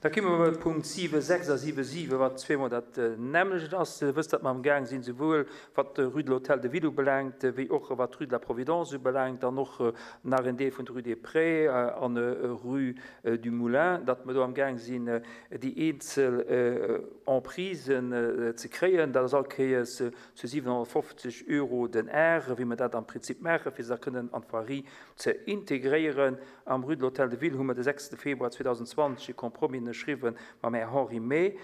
Da komme mer bei Punkt 7, 6 a 7, 7, wat zweemol dat nämmlecht ass. Dir wësst, datt mer amgaang sinn, souwuel wat d'Rue de l'Hôtel de Ville ubelaangt, wéi och wat d'Rue de la Providence ubelaangt an och nach en Deel vun der Rue des Prés an Rue du Moulin, datt mer do amgaang sinn, déi eenzel Emprisen ze kréien. Dat ass all Kéiers zu 750 Euro den Ar, wéi mer dat am Prinzip maachen, fir se da kënnen an d'Voirie ze integréieren. Am Rue de l'Hôtel de Ville hu mer de 6 Februar 2020 e Compromis ënnerschriwwen mam Här Henri May.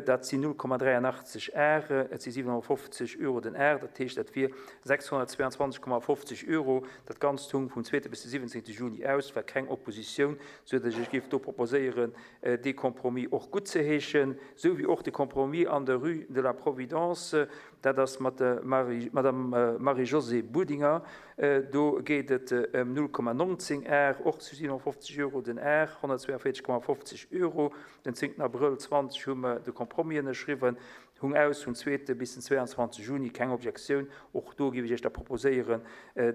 Dat sinn 0,83 Ar, et si 750 Euro den Ar, dat heescht dat wier 622,50 Euro. Dat Ganzt hung vum zweete bis de 17 Juni aus, war keng Oppositioun, sou datt ech géif do proposéieren, dee Compromis och guttzeheeschen, sou wéi och de Compromis an der Rue de la Providence. Dat ass mat der Madame Marie-Josée Budinger. Do geet et ëm 0,19 Ar, och zu 750 Euro den Ar, 142,50 Euro. Den 10 Abrëll 20 hu mer de Compromis ënnerschriwwen, hung aus vum zweete bis den 22 Juni, keng Objektioun. Och do géif ech Iech da proposéieren,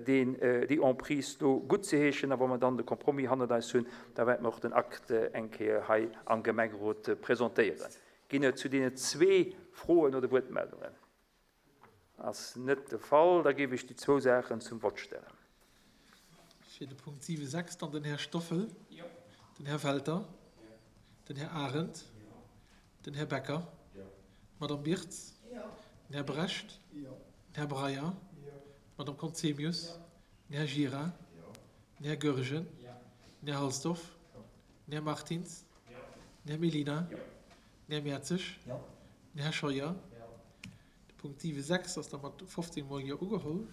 deen, déi Emprise do guttzeheeschen. A wa mer dann de Compromis hannert eis hunn, da wäerte mer och den Akt eng Kéier hei am Gemengerot presentéieren. Ginn et zu deenen zwee Froen oder Wuertmeldungen? Ass net de Fall. Da géif ech déi zwou Saachen zum Vott stellen. Fir de Punkt 7, 6 dann den Här Stoffel, den Här Welter, den Här Arendt, den Här Becker, d'Madame Birtz, den Här Brecht, den Här Breyer, d'Madame Conzemius, den Här Gira, den Här Goergen, den Här Halsdorf, den Här Martins, Den Här Mellina. Den Här Mertzig. Den Här Scheuer. De Punkt 7, 6 ass da mat 15 mol Jo ugeholl.